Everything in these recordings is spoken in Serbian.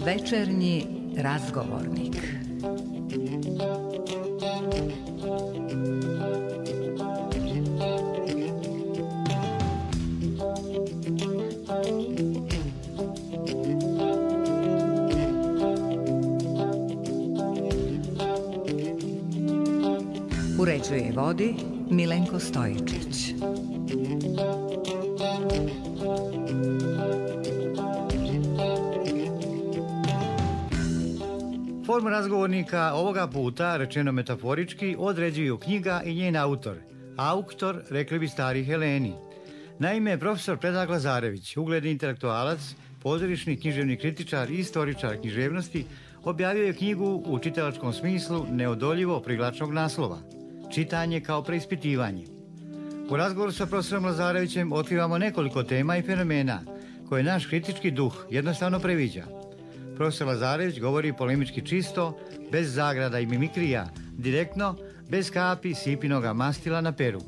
Večernji razgovornik. Uređuje i vodi Milenko Stojičić. Formu razgovornika ovoga puta, rečeno metaforički, određuju knjiga i njen autor. Auktor, rekli bi stari Heleni. Naime, profesor Predrag Lazarević, ugledni intelektualac, pozorišni književni kritičar i istoričar književnosti, objavio je knjigu u čitalačkom smislu neodoljivo privlačnog naslova. Čitanje kao preispitivanje. U razgovoru sa profesorom Lazarevićem otkrivamo nekoliko tema i fenomena koje naš kritički duh jednostavno previđa. Profesor Lazarević govori polemički čisto, bez zagrada i mimikrija, direktno, bez kapi sipinoga mastila na peru.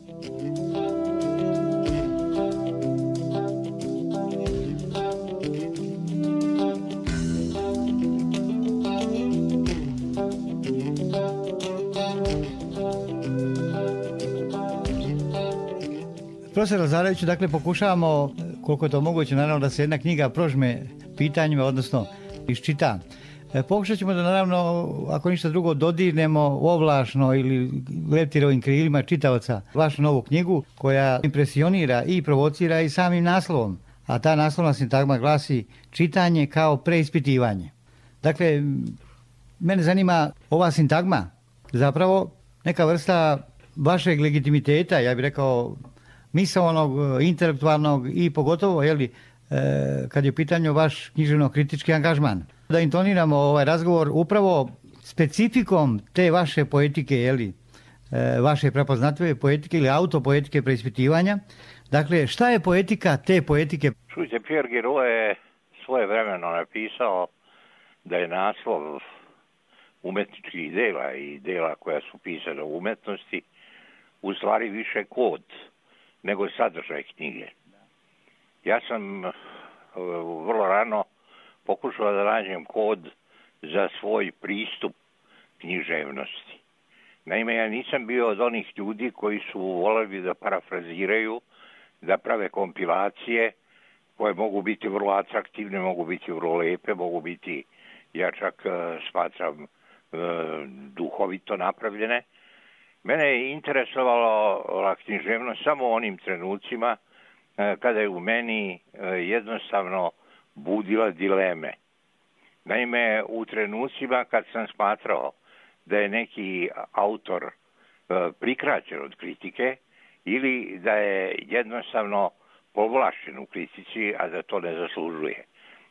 Profesor Lazareviću, dakle, pokušavamo, koliko je to moguće, naravno, da se jedna knjiga prožme pitanjima, odnosno iščita. Pokušat ćemo da, naravno, ako ništa drugo, dodirnemo ovlašno ili leptirovim krilima čitaoca vašu novu knjigu, koja impresionira i provocira i samim naslovom. A ta naslovna sintagma glasi čitanje kao preispitivanje. Dakle, mene zanima ova sintagma, zapravo neka vrsta vašeg legitimiteta, ja bih rekao, misaonog, intelektualnog i pogotovo, kad je u pitanju vaš književno-kritički angažman. Da intoniramo ovaj razgovor upravo specifikom te vaše poetike, vaše prepoznatljive poetike ili autopoetike preispitivanja. Dakle, šta je poetika te poetike? Čujte, Pierre Giraud je svojevremeno napisao da je naslov umetničkih dela i dela koja su pisana u umetnosti u stvari više kod nego sadržaj knjige. Ja sam vrlo rano pokušao da nađem kod za svoj pristup književnosti. Naime, ja nisam bio od onih ljudi koji su voljeli da parafraziraju, da prave kompilacije koje mogu biti vrlo atraktivne, mogu biti vrlo lepe, mogu biti, ja čak smatram, duhovito napravljene. Mene je interesovala književnost samo u onim trenucima kada je u meni jednostavno budila dileme. Naime, u trenucima kad sam smatrao da je neki autor prikraćen od kritike ili da je jednostavno povlašćen u kritici, a da to ne zaslužuje.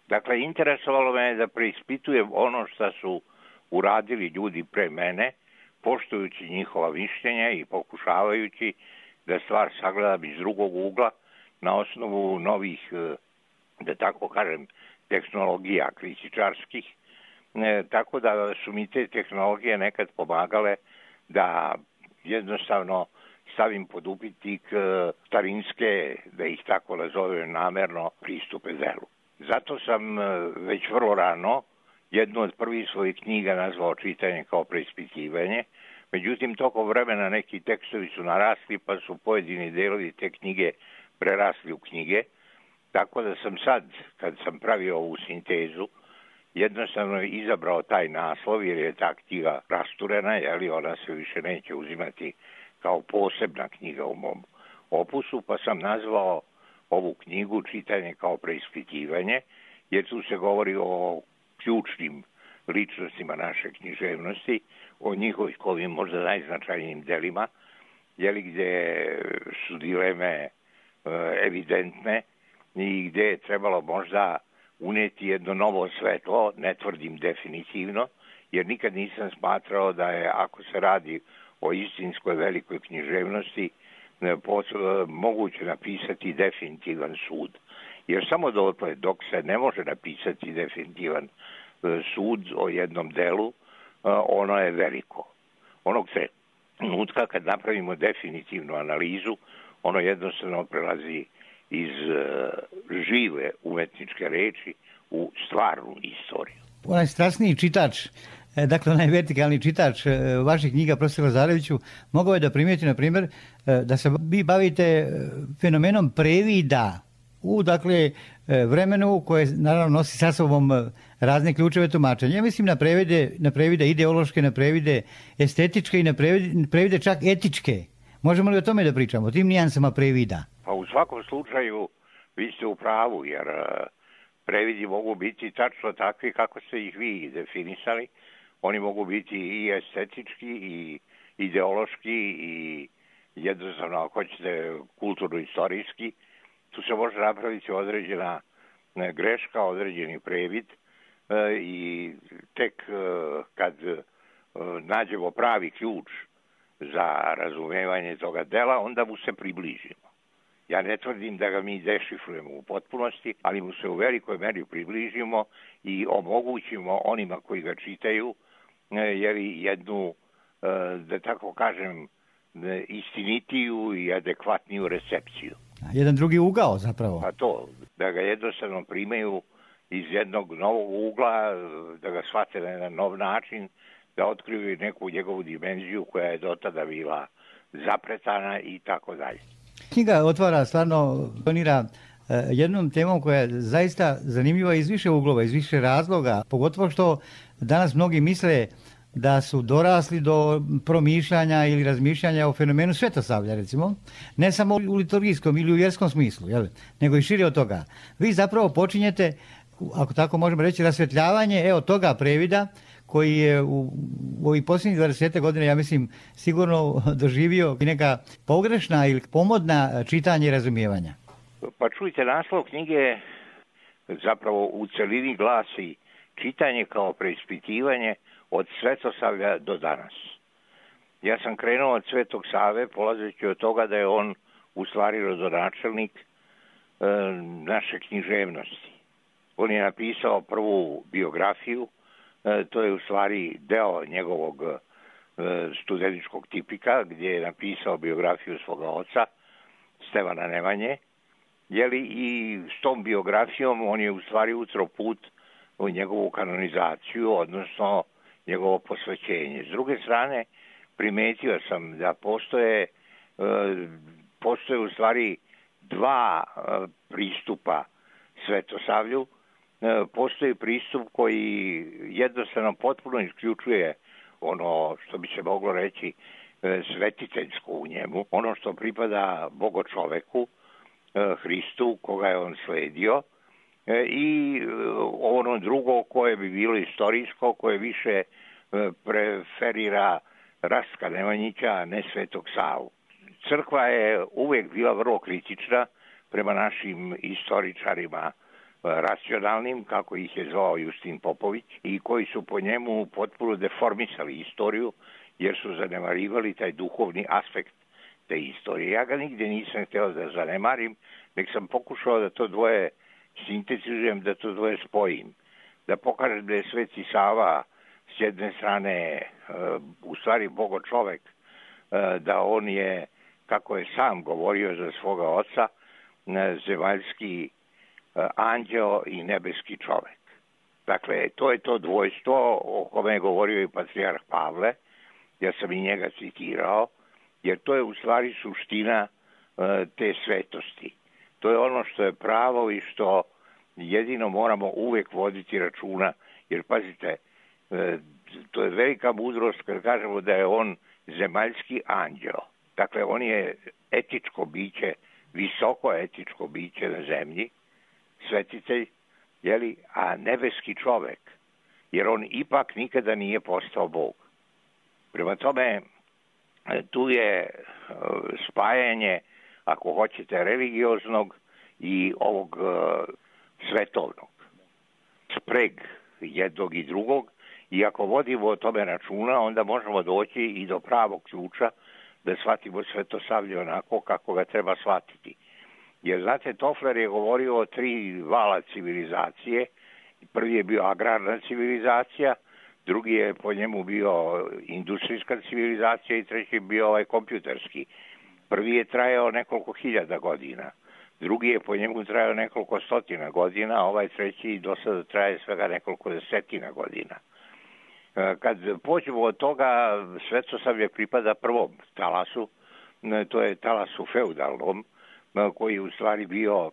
Dakle, interesovalo me je da preispitujem ono što su uradili ljudi pre mene, poštujući njihova mišljenja i pokušavajući da stvar sagledam iz drugog ugla na osnovu novih, da tako kažem, tehnologija kritičarskih, tako da su mi te tehnologije nekad pomagale da jednostavno stavim pod upitnik starinske, da ih tako nazovem namerno, pristupe delu. Zato sam već vrlo rano jednu od prvih svojih knjiga nazvao Čitanje kao preispitivanje. Međutim, tokom vremena neki tekstovi su narasli, pa su pojedini delovi te knjige prerasli u knjige. Tako da sam sad, kad sam pravio ovu sintezu, jednostavno izabrao taj naslov, jer je ta knjiga rasturena, ona se više neće uzimati kao posebna knjiga u mom opusu, pa sam nazvao ovu knjigu Čitanje kao preispitivanje, jer tu se govori o ključnim ličnostima naše književnosti, o njihovim možda najznačajnijim delima, gdje su dileme evidentne i gdje je trebalo možda uneti jedno novo svetlo, ne tvrdim definitivno, jer nikad nisam smatrao da je, ako se radi o istinskoj velikoj književnosti, moguće napisati definitivan sud. Jer samo dok se ne može napisati definitivan sud o jednom delu, ono je veliko. Onog trenutka kad napravimo definitivnu analizu, ono jednostavno prelazi iz žive umetničke reči u stvarnu istoriju. Onaj strasniji čitač, dakle onaj vertikalni čitač vaših knjiga, profesor Lazareviću, mogao je da primijeti, na primjer, da se vi bavite fenomenom previda u, dakle, vremenu koje naravno nosi sa sobom razne ključeve tumačenja. Ja mislim na previde ideološke, na previde estetičke i na previde čak etičke. Možemo li o tome da pričamo, o tim nijansama previda? Pa u svakom slučaju vi ste u pravu, jer previdi mogu biti tačno takvi kako ste ih vi definisali. Oni mogu biti i estetički, i ideološki, i jednostavno, ako hoćete, kulturno-istorijski. Tu se može napraviti određena greška, određeni previd i tek kad nađemo pravi ključ za razumevanje toga dela, onda mu se približimo. Ja ne tvrdim da ga mi dešifrujemo u potpunosti, ali mu se u velikoj meri približimo i omogućimo onima koji ga čitaju jednu, da tako kažem, istinitiju i adekvatniju recepciju. Jedan drugi ugao zapravo. Pa to, da ga jednostavno primaju iz jednog novog ugla, da ga shvate na jedan nov način, da otkriju neku njegovu dimenziju koja je do tada bila zapretana i tako dalje. Knjiga otvara, stvarno donira jednom temom koja je zaista zanimljiva iz više uglova, iz više razloga, pogotovo što danas mnogi misle da su dorasli do promišljanja ili razmišljanja o fenomenu svetosavlja, recimo, ne samo u liturgijskom ili u vjerskom smislu, nego i šire od toga. Vi zapravo počinjete, ako tako možemo reći, rasvjetljavanje toga previda koji je u ovih posljednjih 20 godina, ja mislim, sigurno doživio i neka pogrešna ili pomodna čitanja i razumijevanja. Pa čujte, naslov knjige zapravo u celini glasi čitanje kao preispitivanje od Svetosavlja do danas. Ja sam krenuo od Svetog Save, polazeći od toga da je on u stvari rodonačelnik naše književnosti. On je napisao prvu biografiju, to je u stvari deo njegovog studentičkog tipika, gdje je napisao biografiju svoga oca, Stevana Nemanje, i s tom biografijom on je u stvari utro put u njegovu kanonizaciju, odnosno njegovo posvećenje. S druge strane, primetio sam da postoje u stvari dva pristupa Svetosavlju. Postoji pristup koji jednostavno potpuno isključuje ono što bi se moglo reći svetiteljsko u njemu, ono što pripada bogočoveku, Hristu, koga je on sledio, i ono drugo koje bi bilo istorijsko, koje više preferira Rastka Nemanjića, a ne Svetog Savu. Crkva je uvijek bila vrlo kritična prema našim istoričarima racionalnim, kako ih je zvao Justin Popović, i koji su po njemu potpuno deformisali istoriju, jer su zanemarivali taj duhovni aspekt te istorije. Ja ga nigdje nisam htio da zanemarim, nek sam pokušao da to dvoje sintetizujem, da to dvoje spojim. Da pokažem da je Sveti Sava s jedne strane u stvari bogočovek, da on je, kako je sam govorio za svoga oca, zemaljski anđeo i nebeski čovek. Dakle, to je to dvojstvo o kome je govorio i patrijarh Pavle, ja sam i njega citirao, jer to je u stvari suština te svetosti. To je ono što je pravo i što jedino moramo uvijek voditi računa, jer pazite, to je velika mudrost kad kažemo da je on zemaljski anđeo. Dakle, on je etičko biće, visoko etičko biće na zemlji, svetitelj, a nebeski čovek, jer on ipak nikada nije postao Bog. Prema tome, tu je spajanje, ako hoćete, religioznog i ovog svetovnog. Spreg jednog i drugog, i ako vodimo o tome računa, onda možemo doći i do pravog ključa da shvatimo Svetosavlje onako kako ga treba shvatiti. Jer, znate, Toffler je govorio o 3 vala civilizacije. Prvi je bio agrarna civilizacija, drugi je po njemu bio industrijska civilizacija i treći je bio ovaj kompjuterski. Prvi je trajao nekoliko hiljada godina, drugi je po njemu trajao nekoliko stotina godina, a ovaj treći do sada traje svega nekoliko desetina godina. Kad pođemo od toga, Svetosavlje pripada prvom talasu, to je talasu feudalnom, koji je u stvari bio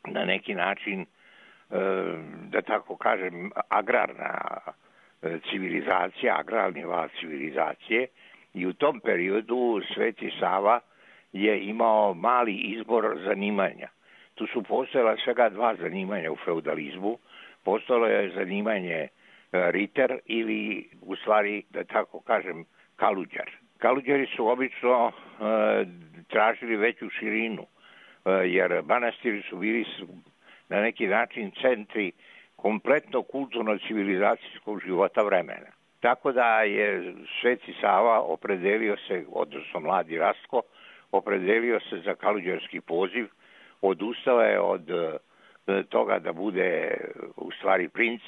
na neki način, da tako kažem, agrarna civilizacija, agrarni val civilizacije, i u tom periodu Sveti Sava je imao mali izbor zanimanja. Tu su postojala svega dva zanimanja u feudalizmu. Postojalo je zanimanje riter ili, u stvari, da tako kažem, kaluđar. Kaluđari su obično tražili veću širinu, jer manastiri su bili na neki način centri kompletno kulturno-civilizacijskog života vremena. Tako da je Sveti Sava opredelio se, odnosno mladi Rastko, opredelio se za kaluđarski poziv, odustao je od toga da bude u stvari princ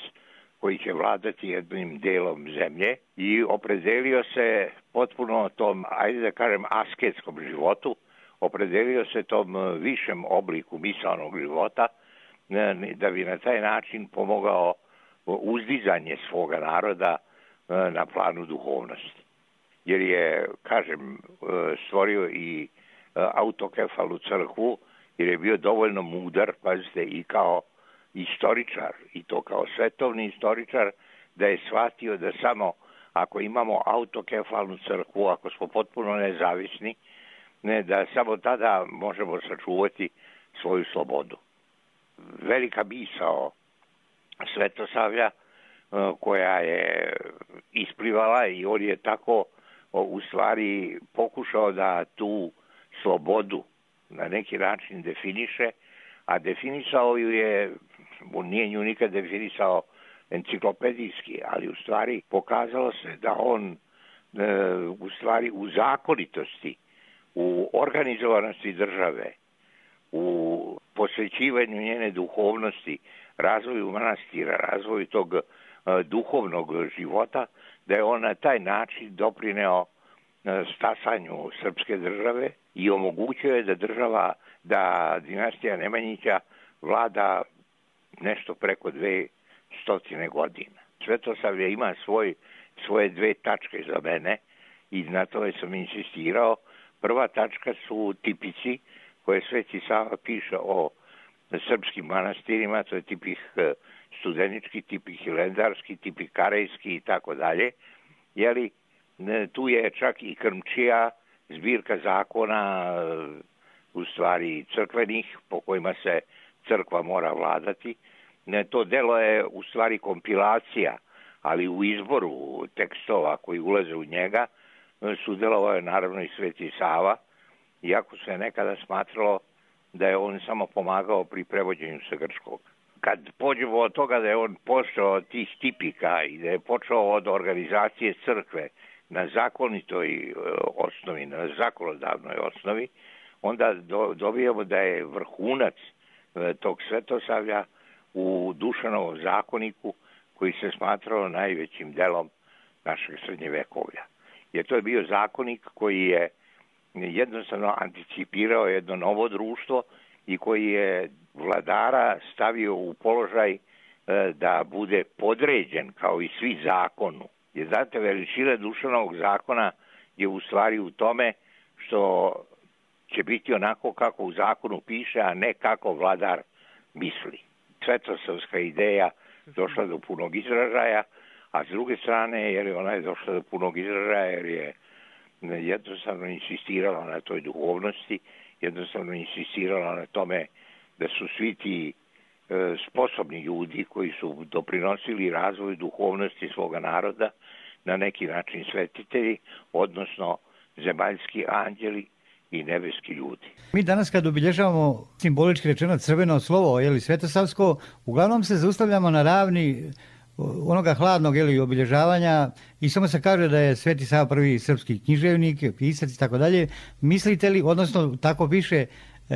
koji će vladati jednim delom zemlje i opredelio se potpuno tom, ajde da kažem, asketskom životu, opredelio se tom višem obliku misaonog života, da bi na taj način pomogao uzdizanje svoga naroda na planu duhovnosti. Jer je, kažem, stvorio i autokefalnu crkvu, jer je bio dovoljno mudar, pazite, i kao istoričar, i to kao svetovni istoričar, da je shvatio da samo ako imamo autokefalnu crkvu, ako smo potpuno nezavisni, da samo tada možemo sačuvati svoju slobodu. Velika misao Svetosavlja koja je isplivala, i on je tako u stvari pokušao da tu slobodu na neki način definiše, a definisao ju je, on nije nju nikad definisao enciklopedijski, ali u stvari pokazalo se da on u stvari u zakonitosti, u organizovanosti države, u posvećivanju njene duhovnosti, razvoju manastira, razvoju tog duhovnog života, da je on na taj način doprineo stasanju srpske države i omogućio je da dinastija Nemanjića vlada nešto preko 200 godina. Svetosavlje ima svoje dve tačke za mene i na tome sam insistirao. Prva tačka su tipici koje Sveti Sava piše o srpskim manastirima, to je tipih studenički, tipih hilendarski, tipih karejski i tako dalje. Jeli, tu je čak i Krmčija, zbirka zakona, u stvari crkvenih, po kojima se crkva mora vladati. To delo je u stvari kompilacija, ali u izboru tekstova koji ulaze u njega sudjelovao je naravno i Sveti Sava, iako se nekada smatralo da je on samo pomagao pri prevođenju sa grčkog. Kad pođemo od toga da je on počeo od tih tipika i da je počeo od organizacije crkve na zakonitoj osnovi, na zakonodavnoj osnovi, onda dobijamo da je vrhunac tog Svetosavlja u Dušanovom zakoniku, koji se smatrao najvećim delom našeg srednjevekovlja. Jer to je bio zakonik koji je jednostavno anticipirao jedno novo društvo i koji je vladara stavio u položaj da bude podređen kao i svi zakonu. Jer znate, veličina Dušanovog zakona je u stvari u tome što će biti onako kako u zakonu piše, a ne kako vladar misli. Svetosavska ideja došla do punog izražaja, a s druge strane, jer ona je došla do punog izražaja, jer je jednostavno insistirala na toj duhovnosti, jednostavno insistirala na tome da su svi ti sposobni ljudi koji su doprinosili razvoju duhovnosti svoga naroda na neki način svetitelji, odnosno zemaljski anđeli i nebeski ljudi. Mi danas kad obilježavamo simbolički rečeno crveno slovo, svetosavsko, uglavnom se zaustavljamo na ravni onoga hladnog obilježavanja i samo se kaže da je Sveti Sava prvi srpski književnik, pisac i tako dalje. Mislite li, odnosno tako piše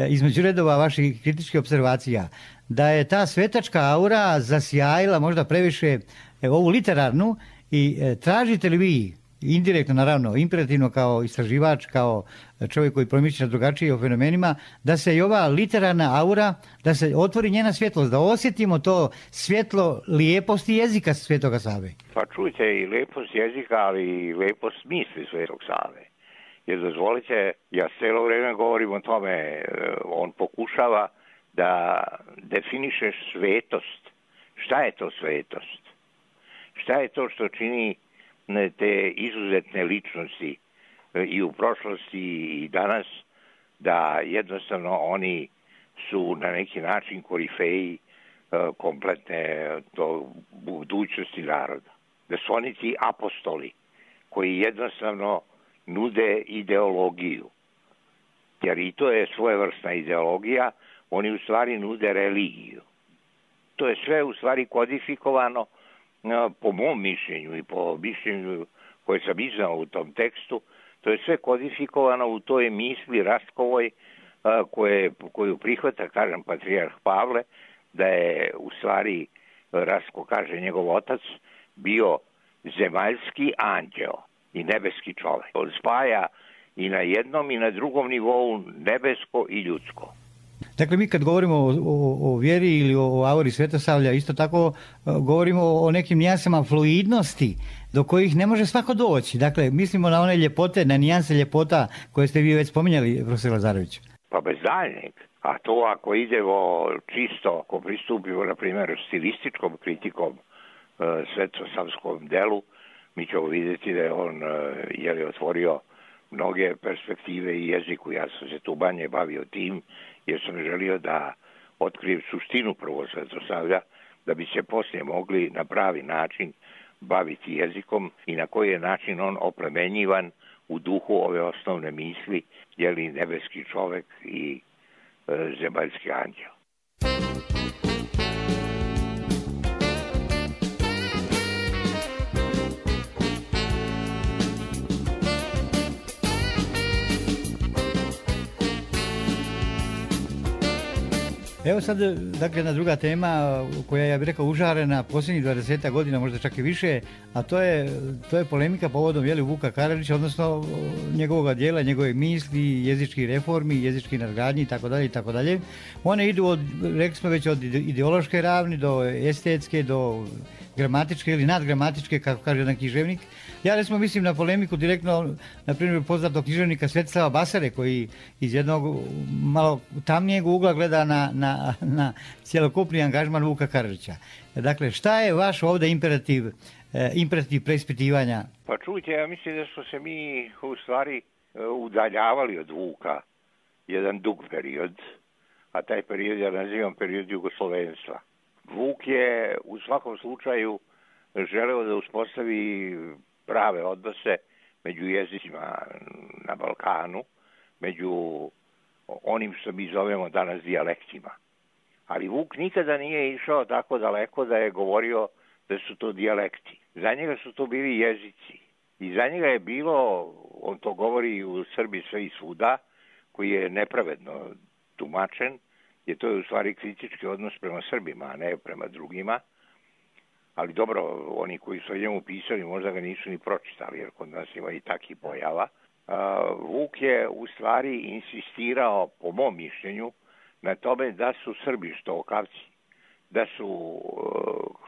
između redova vaših kritičkih observacija, da je ta svetačka aura zasjajila možda previše ovu literarnu I tražite li vi, indirektno naravno, imperativno kao istraživač, kao čovjek koji promišlja drugačije o fenomenima, da se i ova literarna aura, da se otvori njena svjetlost, da osjetimo to svjetlo lijeposti jezika Svetoga Save? Pa čujte, i lijepost jezika, ali i lijepost misli Svetog Save. Jer dozvolite, ja cijelo vrijeme govorim o tome, on pokušava da definiše svetost. Šta je to svetost? Šta je to što čini te izuzetne ličnosti i u prošlosti i danas, da jednostavno oni su na neki način korifeji kompletne budućnosti naroda. Da su oni ti apostoli koji jednostavno nude ideologiju. Jer i to je svojevrsna ideologija, oni u stvari nude religiju. To je sve u stvari kodifikovano po mom mišljenju i po mišljenju koje sam iznao u tom tekstu. To je sve kodifikovano u toj misli Rastkovoj koju prihvata, kažem, patrijarh Pavle, da je u stvari, Rastko kaže, njegov otac bio zemaljski anđeo i nebeski čovjek. On spaja i na jednom i na drugom nivou nebesko i ljudsko. Dakle, mi kad govorimo o vjeri ili o auri Svetosavlja, isto tako govorimo o nekim nijansama fluidnosti do kojih ne može svako doći. Dakle, mislimo na one ljepote, na nijanse ljepota koje ste vi već spominjali, profesor Lazarević. Pa bez daljnjeg. A to ako idemo čisto, ako pristupimo, na primjer, stilističkom kritikom svetosavskom delu, mi ćemo vidjeti da je on otvorio mnoge perspektive i jeziku. Ja sam se tu manje bavio tim, jer sam želio da otkrijem suštinu prvo Svetosavlja, da bi se poslije mogli na pravi način baviti jezikom i na koji je način on oplemenjivan u duhu ove osnovne misli, je li nebeski čovjek i zemaljski anđeo. Evo sad, dakle, jedna druga tema koja, ja bih rekao, užarena posljednjih 20 godina, možda čak i više, a to je polemika povodom Vuka Karadžića, odnosno njegovog dijela, njegove misli, jezičkih reformi, jezičkih nadgradnji itd. One idu od, rekli smo već, od ideološke ravni do estetske, do gramatičke ili nadgramatičke, kako kaže jedan književnik. Ja recimo mislim na polemiku direktno, na primjer, poznatog književnika Svetislava Basare, koji iz jednog malo tamnijeg ugla gleda na cjelokupni angažman Vuka Karadžića. Dakle, šta je vaš ovdje imperativ preispitivanja? Pa čujte, ja mislim da smo se mi u stvari udaljavali od Vuka jedan dug period, a taj period ja nazivam period jugoslovenstva. Vuk je u svakom slučaju želeo da uspostavi prave odnose među jezicima na Balkanu, među onim što mi zovemo danas dijalektima. Ali Vuk nikada nije išao tako daleko da je govorio da su to dijalekti. Za njega su to bili jezici. I za njega je bilo, on to govori u Srbiji sve i svuda, koji je nepravedno tumačen, jer to je u stvari kritički odnos prema Srbima, a ne prema drugima. Ali dobro, oni koji su o njemu pisali možda ga nisu ni pročitali, jer kod nas ima i takih pojava. Vuk je u stvari insistirao, po mom mišljenju, na tome da su Srbi štokavci, da su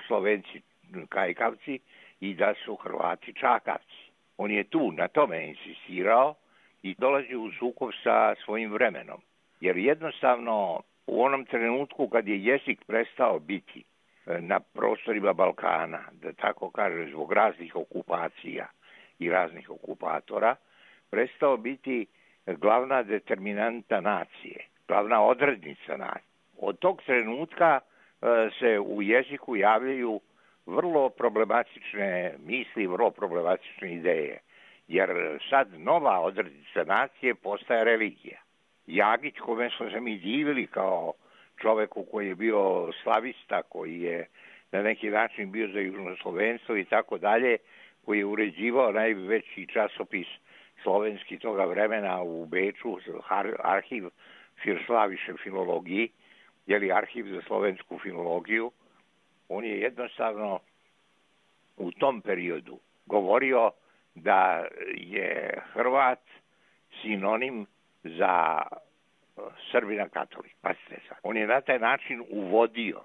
Slovenci kajkavci i da su Hrvati čakavci. On je tu na tome insistirao i dolazi u sukob sa svojim vremenom. Jer jednostavno u onom trenutku kad je jezik prestao biti na prostorima Balkana, da tako kaže, zbog raznih okupacija i raznih okupatora, prestao biti glavna determinanta nacije, glavna odrednica nacije. Od tog trenutka se u jeziku javljaju vrlo problematične misli, vrlo problematične ideje, jer sad nova odrednica nacije postaje religija. Jagić, kome smo se mi divili kao čoveku koji je bio slavista, koji je na neki način bio za južnoslovenstvo i tako dalje, koji je uređivao najveći časopis slovenski toga vremena u Beču, arhiv für slavische filologiji, arhiv za slovensku filologiju. On je jednostavno u tom periodu govorio da je Hrvat sinonim za Srbina katolik. Pazite sad. On je na taj način uvodio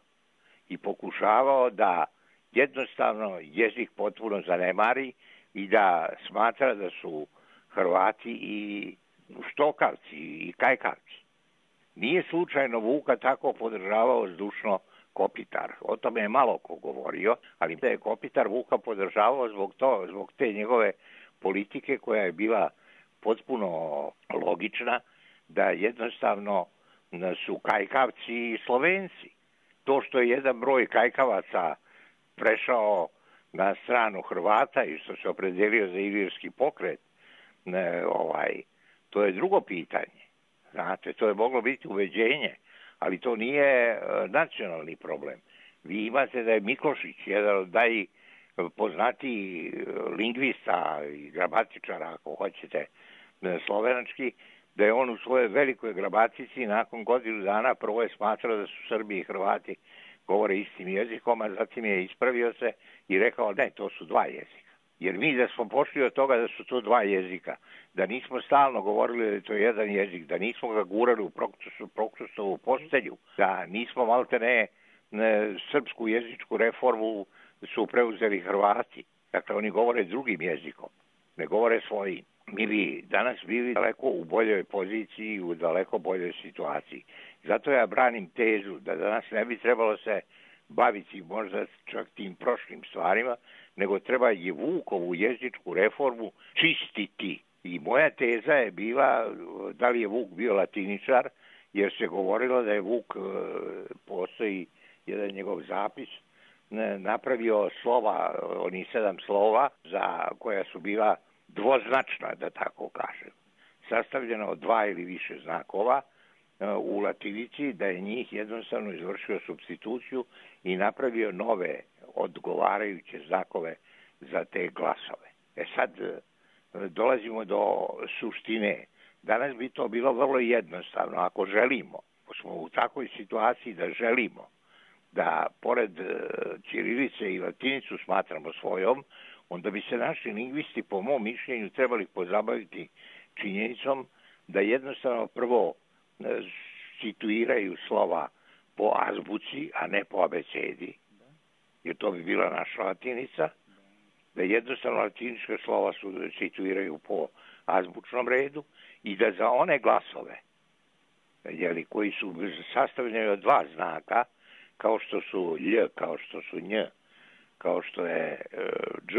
i pokušavao da jednostavno jezik potpuno zanemari i da smatra da su Hrvati i štokavci i kajkavci. Nije slučajno Vuka tako podržavao zdušno Kopitar. O tome je malo ko govorio, ali da je Kopitar Vuka podržavao zbog te njegove politike koja je bila potpuno logična, da jednostavno su kajkavci i Slovenci. To što je jedan broj kajkavaca prešao na stranu Hrvata i što se opredelio za ilirski pokret, to je drugo pitanje. Znate, to je moglo biti uveđenje, ali to nije nacionalni problem. Vi imate da je Miklošić, jedan od najpoznatijih lingvista i gramatičara, ako hoćete, slovenački, da je on u svojoj velikoj gramatici nakon godinu dana prvo je smatrao da su Srbi i Hrvati govore istim jezikom, a zatim je ispravio se i rekao ne, to su dva jezika. Jer mi da smo pošli od toga da su to dva jezika, da nismo stalno govorili da je to jedan jezik, da nismo ga gurali u Prokrustovu postelju, da nismo maltene srpsku jezičku reformu su preuzeli Hrvati. Dakle, oni govore drugim jezikom, ne govore svojim. Mi bi danas bili daleko u boljoj poziciji i u daleko boljoj situaciji. Zato ja branim tezu da danas ne bi trebalo se baviti možda čak tim prošlim stvarima, nego treba i Vukovu jezičku reformu čistiti. I moja teza je bila da li je Vuk bio latiničar, jer se govorilo da je Vuk, postoji jedan njegov zapis, napravio slova, oni 7 slova za koja su bila dvoznačna, da tako kažem, sastavljena od 2 ili više znakova u latinici, da je njih jednostavno izvršio supstituciju i napravio nove odgovarajuće znakove za te glasove. Sad dolazimo do suštine. Danas bi to bilo vrlo jednostavno. Ako želimo, ako smo u takvoj situaciji da želimo da pored ćirilice i latinicu smatramo svojom, onda bi se naši lingvisti, po mom mišljenju, trebali pozabaviti činjenicom da jednostavno prvo situiraju slova po azbuci, a ne po abecedi, jer to bi bila naša latinica, da jednostavno latinička slova situiraju po azbučnom redu i da za one glasove, koji su sastavljeni od 2 znaka, kao što su lj, kao što su nj, kao što je dž,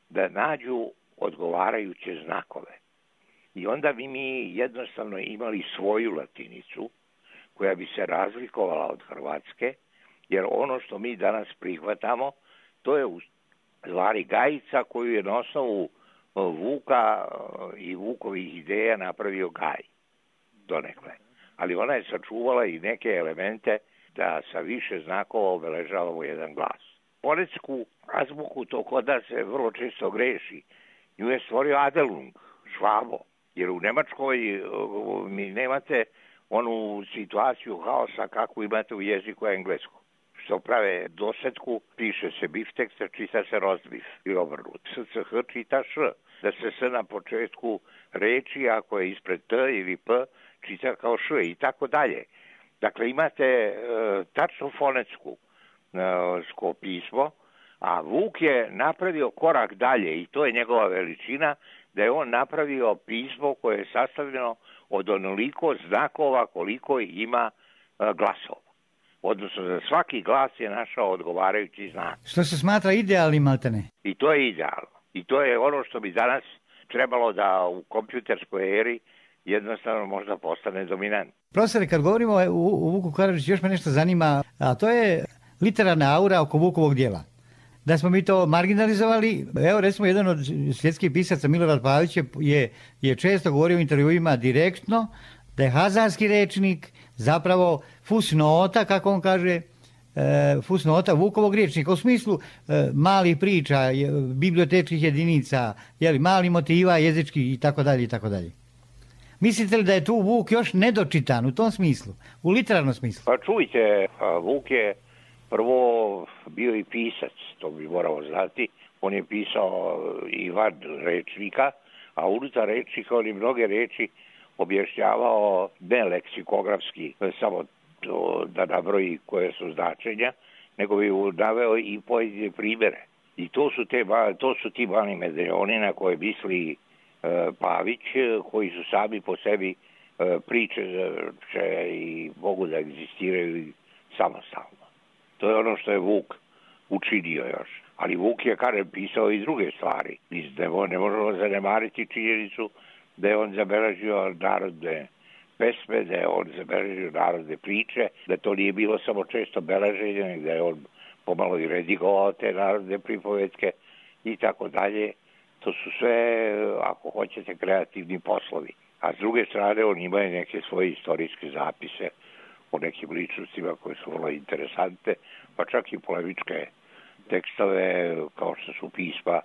da nađu odgovarajuće znakove. I onda bi mi jednostavno imali svoju latinicu koja bi se razlikovala od hrvatske, jer ono što mi danas prihvatamo, to je u stvari gajica koju je na osnovu Vuka i Vukovih ideja napravio Gaj, donekle. Ali ona je sačuvala i neke elemente da sa više znakova obeležavamo jedan glas. Porecku azbuku to kod nas se vrlo često greši. Nju je stvorio Adelung, Švabo, jer u Nemačkoj mi nemate onu situaciju haosa kakvu imate u jeziku engleskom. Što prave dosetku, piše se biftek, čita se rozbif i obrnut. SCH čita š, da se s na početku reči, ako je ispred t ili p, čita kao š i tako dalje. Dakle, imate tačno fonetsku pismo, a Vuk je napravio korak dalje i to je njegova veličina, da je on napravio pismo koje je sastavljeno od onoliko znakova koliko ima glasova. Odnosno, za svaki glas je našao odgovarajući znak. Što se smatra idealnim, maltene? I to je idealno. I to je ono što bi danas trebalo da u kompjuterskoj eri jednostavno možda postane dominant. Profesore, kad govorimo o Vuku Karadžiću, još me nešto zanima, a to je literarna aura oko Vukovog djela. Da smo mi to marginalizovali, evo recimo jedan od svjetskih pisaca, Milorad Pavić, je često govorio u intervjuima direktno da je hazarski rečnik zapravo fusnota, kako on kaže, fusnota Vukovog rječnika, u smislu malih priča, bibliotečkih jedinica, malih motiva, jezičkih itd. itd. Mislite li da je tu Vuk još nedočitan u tom smislu, u literarnom smislu? Pa čujte, Vuk je prvo bio i pisac, to bi morao znati. On je pisao i van rečnika, a unutar rečnika on je mnoge reči objašnjavao ne leksikografski, samo to da nabroji koje su značenja, nego bi naveo i pojedine primere. I to su ti mali medaljoni na koje misli Pavić, koji su sami po sebi priče i mogu da egzistiraju samostalno. To je ono što je Vuk učinio još. Ali Vuk je, kažem, pisao i druge stvari. Ne možemo zanemariti činjenicu da je on zabeležio narodne pesme, da je on zabeležio narodne priče, da to nije bilo samo često beleženje, nego da je on pomalo i redigovao te narodne pripovetke i tako dalje. To su sve, ako hoćete, kreativni poslovi. A s druge strane, on ima i neke svoje istorijske zapise o nekim ličnostima koje su vrlo interesante, pa čak i polemičke tekstove, kao što su pisma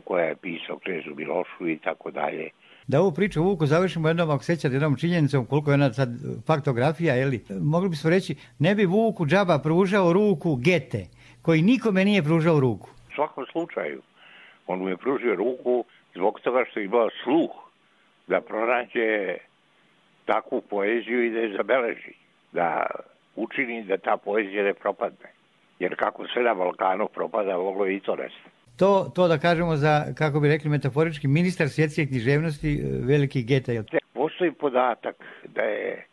koja je pisao knezu Milošu i tako dalje. Da ovu priču o Vuku završimo jednom, ako sećate, jednom činjenicom, koliko je ona sad faktografija, mogli bismo reći, ne bi Vuku džaba pružao ruku Gete, koji nikome nije pružao ruku. U svakom slučaju, on mu je pružio ruku zbog toga što je imao sluh da pronađe takvu poeziju i da je zabeleži, da učini da ta poezija ne propadne. Jer kako sve na Balkanu propada, moglo je i to nestati. To da kažemo za, kako bi rekli metaforički, ministar svjetske književnosti, veliki Gete. Postoji podatak da je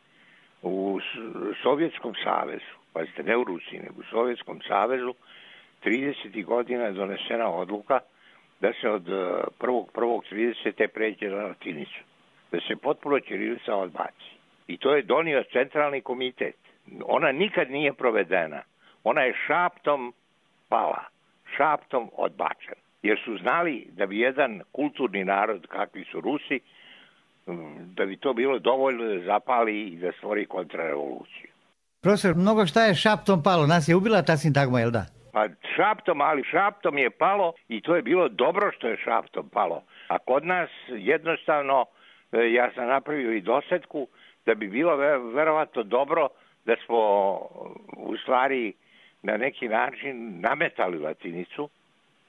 u Sovjetskom savezu, pazite, ne u Rusiji, nego u Sovjetskom savezu, 30. godina donesena odluka da se od 1.1.30. pređe na latinicu. Da se potpuno ćirilica odbaci. I to je donio centralni komitet. Ona nikad nije provedena. Ona je šaptom pala, šaptom odbačena. Jer su znali da bi jedan kulturni narod, kakvi su Rusi, da bi to bilo dovoljno da zapali i da stvori kontrarevoluciju. Profesor, mnogo šta je šaptom palo? Nas je ubila ta sintagma, jel da? Pa šaptom je palo i to je bilo dobro što je šaptom palo. A kod nas jednostavno, ja sam napravio i dosetku, da bi bilo verovatno dobro da smo u stvari na neki način nametali latinicu,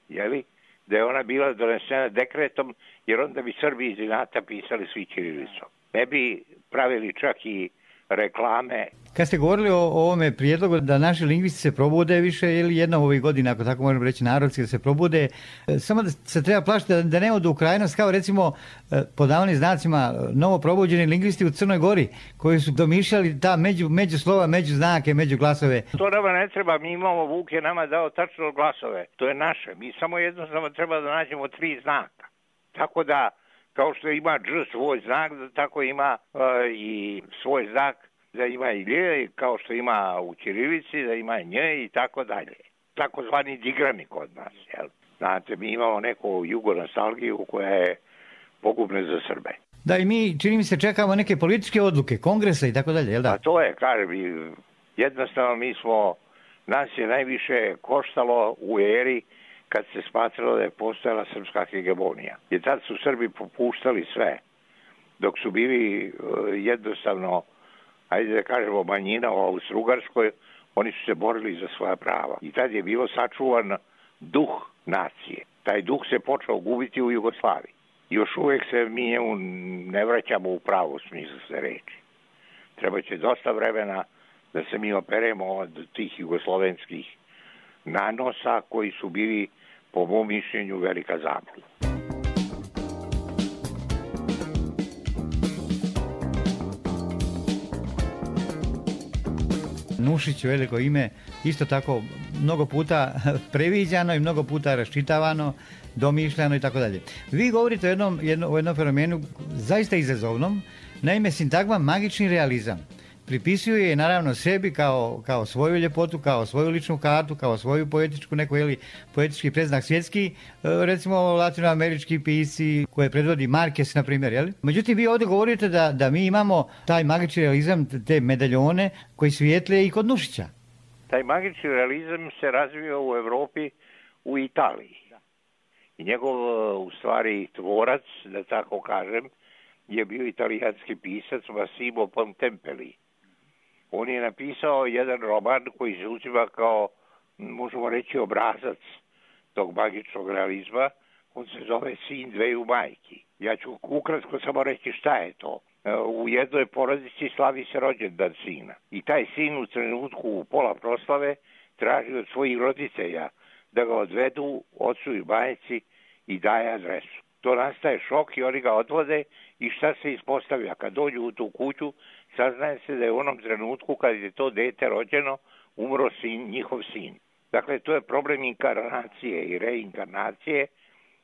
jeli? Da je ona bila donesena dekretom, jer onda bi Srbi iz inata pisali svi ćirilicom. Ne bi pravili čak i reklame. Kad ste govorili o ovome prijedlogu da naši lingvisti se probude više ili jednom ovih godina, ako tako možemo reći, narodski da se probude, samo da se treba plašiti da ne odu u krajnost kao recimo pod navodnim znacima novo probuđeni lingvisti u Crnoj Gori koji su domišljali ta međuslova, međuznake, međuglasove. To nama ne treba, mi imamo, Vuk je nama dao tačno glasove, to je naše, mi samo jednostavno treba da nađemo 3 znaka. Tako da, kao što ima dž svoj znak, tako ima i svoj znak da ima i lje, kao što ima u ćirilici, da ima i nje i tako dalje. Takozvani digrami kod nas, jel? Znate, mi imamo neku jugonostalgiju koja je pogubna za Srbe. Da, i mi, čini mi se, čekamo neke političke odluke, kongresa i tako dalje, jel da? A to je, kažem, jednostavno nas je najviše koštalo u eri kad se smatralo da je postojala srpska hegemonija. Jer tad su Srbi popuštali sve, dok su bili jednostavno, ajde da kažemo, manjina u Austro-Ugarskoj, oni su se borili za svoja prava. I tad je bilo sačuvan duh nacije. Taj duh se počeo gubiti u Jugoslaviji. Još uvek se mi njemu ne vraćamo u pravu smislu se reči. Trebaće dosta vremena da se mi operemo od tih jugoslovenskih nanosa koji su bili, po mom mišljenju, velika zabluda. Nušić, veliko ime, isto tako mnogo puta previđano i mnogo puta raščitavano, domišljano i tako dalje. Vi govorite o jednom fenomenu zaista izazovnom, naime sintagma magični realizam. Pripisuje je naravno sebi kao svoju ljepotu, kao svoju ličnu kartu, kao svoju poetičku, neko poetički predznak svjetski, recimo latinoamerički pisci koje predvodi Marquez, na primjer, jel? Međutim, vi ovdje govorite da mi imamo taj magični realizam, te medaljone koji svijetle i kod Nušića. Taj magični realizam se razvio u Evropi, u Italiji. I njegov, u stvari, tvorac, da tako kažem, je bio italijanski pisac Massimo Bontempelli, On je napisao jedan roman koji se uzima kao, možemo reći, obrazac tog magičnog realizma. On se zove Sin dveju majki. Ja ću ukratko samo reći šta je to. U jednoj porodici slavi se rođendan sina. I taj sin u trenutku u pola proslave traži od svojih roditelja da ga odvedu ocu i majci i daje adresu. To nastaje šok i oni ga odvode i šta se ispostavlja? Kad dođu u tu kuću, saznaje se da je u onom trenutku kad je to dete rođeno, umro njihov sin. Dakle, to je problem inkarnacije i reinkarnacije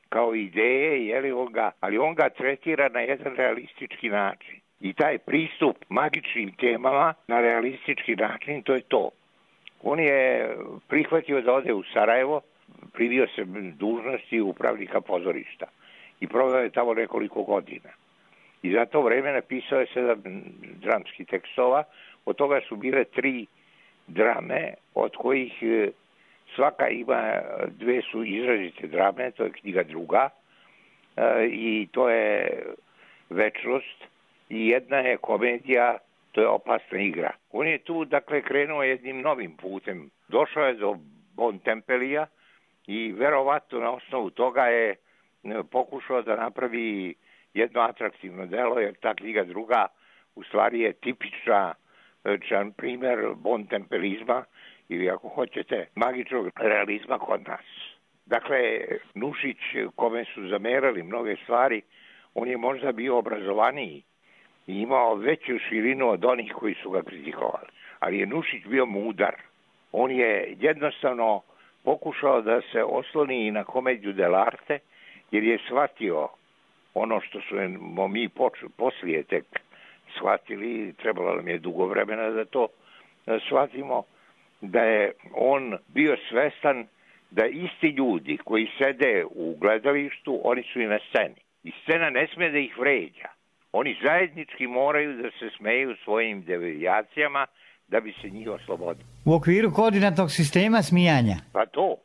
kao ideje, ali on ga tretira na jedan realistički način. I taj pristup magičnim temama na realistički način, to je to. On je prihvatio da ode u Sarajevo, privio se dužnosti upravnika pozorišta i proveo je tamo nekoliko godina. I za to vreme napisao je 7 dramskih tekstova, od toga su bile 3 drame, od kojih svaka ima, 2 su izrazite drame, to je knjiga druga i to je Večnost i jedna je komedija, to je Opasna igra. On je tu, dakle, krenuo jednim novim putem. Došao je do Bontempelija i verovatno na osnovu toga je pokušao da napravi jedno atraktivno delo, jer ta knjiga druga u stvari je tipičan primer bontempelizma ili, ako hoćete, magičnog realizma kod nas. Dakle, Nušić, kome su zamerali mnoge stvari, on je možda bio obrazovaniji i imao veću širinu od onih koji su ga kritikovali. Ali je Nušić bio mudar. On je jednostavno pokušao da se osloni i na komediju dell'arte, jer je shvatio ono što su mi poslije tek shvatili, trebalo nam je dugo vremena da to shvatimo, da je on bio svestan da isti ljudi koji sede u gledalištu, oni su i na sceni. I scena ne sme da ih vređa. Oni zajednički moraju da se smeju svojim devijacijama da bi se njih oslobodili. U okviru koordinatnog sistema smijanja? Pa to,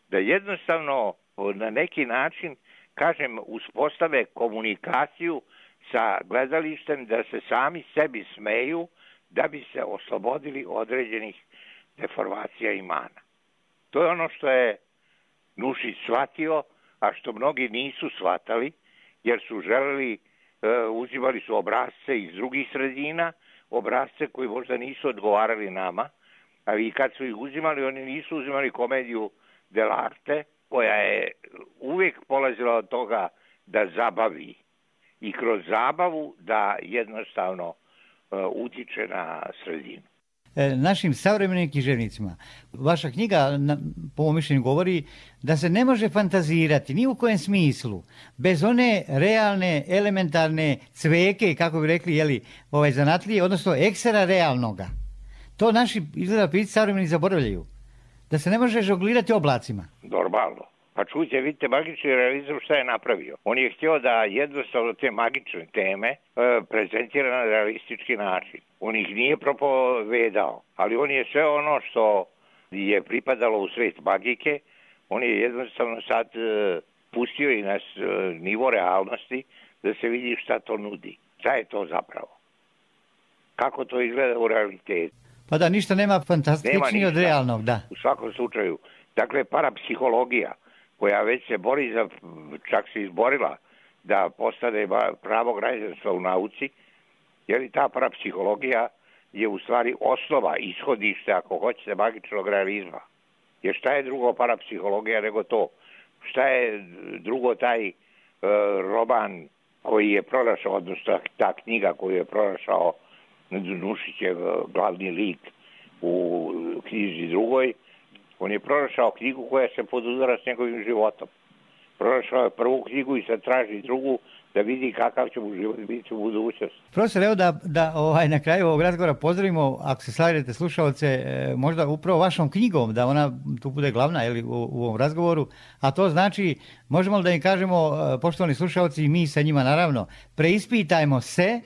da jednostavno na neki način, kažem, uspostave komunikaciju sa gledalištem, da se sami sebi smeju da bi se oslobodili određenih deformacija i mana. To je ono što je Nušić shvatio, a što mnogi nisu shvatali, jer su želeli, uzimali su obrazce iz drugih sredina, obrazce koji možda nisu odgovarali nama, ali kad su ih uzimali, oni nisu uzimali komediju dell'arte, koja je uvijek polazila od toga da zabavi i kroz zabavu da jednostavno utiče na sredinu. Našim savremenim književnicima vaša knjiga, po mom mišljenju, govori da se ne može fantazirati ni u kojem smislu bez one realne, elementarne cveke, kako bi rekli, zanatlije, odnosno ekstra realnoga. To naši, izgleda, pisci savremeni zaboravljaju. Da se ne može žonglirati oblacima. Normalno. Pa čujte, vidite, magični realizam šta je napravio. On je htio da jednostavno te magične teme prezentira na realistički način. On ih nije propovedao, ali on je sve ono što je pripadalo u svet magike, on je jednostavno sad pustio i na nivo realnosti da se vidi šta to nudi. Šta je to zapravo? Kako to izgleda u realitetu? Pa da, ništa nema fantastičnije od realnog, da. U svakom slučaju. Dakle, parapsihologija, koja već se bori čak se izborila da postane pravo građanstva u nauci, jer i ta parapsihologija je u stvari osnova, ishodište, ako hoćete, magičnog realizma. Jer šta je drugo parapsihologija nego to? Šta je drugo taj roman koji je pronašao, odnosno ta knjiga koju je pronašao Nušićev glavni lik u knjizi drugoj? On je pronašao knjigu koja se podudara s njegovim životom. Pronašao je prvu knjigu i sad traži drugu da vidi kakav će mu život biti u budućnosti. Profesor, evo da na kraju ovog razgovora pozdravimo, ako se slažete slušalce, možda upravo vašom knjigom, da ona tu bude glavna u ovom razgovoru, a to znači, možemo li da im kažemo, poštovani slušalci i mi sa njima naravno, preispitajmo se,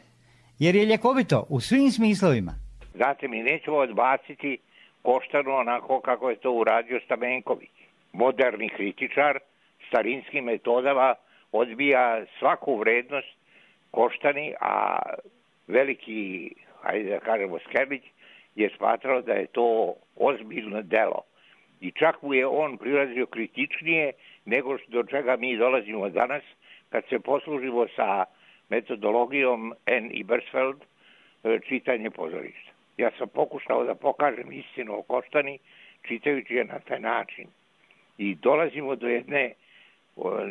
jer je ljekovito u svim smislovima. Znate, mi nećemo odbaciti Koštanu onako kako je to uradio Stamenković. Moderni kritičar starinskim metodama odbija svaku vrednost Koštani, a veliki, hajde da kažemo, Skerbić je smatrao da je to ozbiljno delo. I čak mu je on prilazio kritičnije nego do čega mi dolazimo danas kad se poslužimo sa metodologijom N. i Bersfeld čitanje pozorišta. Ja sam pokušao da pokažem istinu o Koštani čitajući je na taj način. I dolazimo do jedne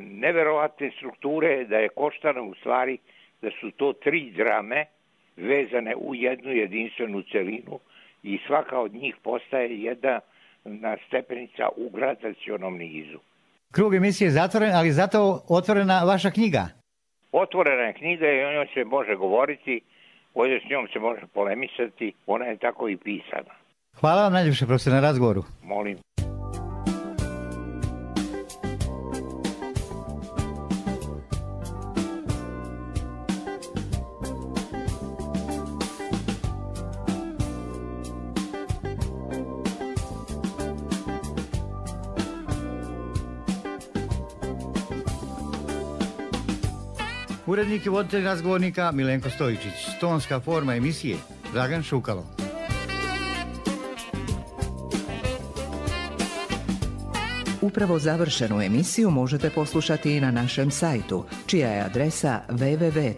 neverovatne strukture da je Koštana u stvari, da su to 3 drame vezane u jednu jedinstvenu celinu i svaka od njih postaje jedna stepenica u gradacionom nizu. Krug emisije je zatvoren, ali zato otvorena vaša knjiga. Otvorena je knjiga i o njoj se može govoriti, ovdje s njom se može polemisati, ona je tako i pisana. Hvala vam najljepše, profesor, na razgovoru. Molim. Urednik i voditelj razgovornika Milenko Stojičić. Tonska forma emisije Dragan Šukalo. Upravo završenu emisiju možete poslušati i na našem sajtu, čija je adresa www.rtrs.tv.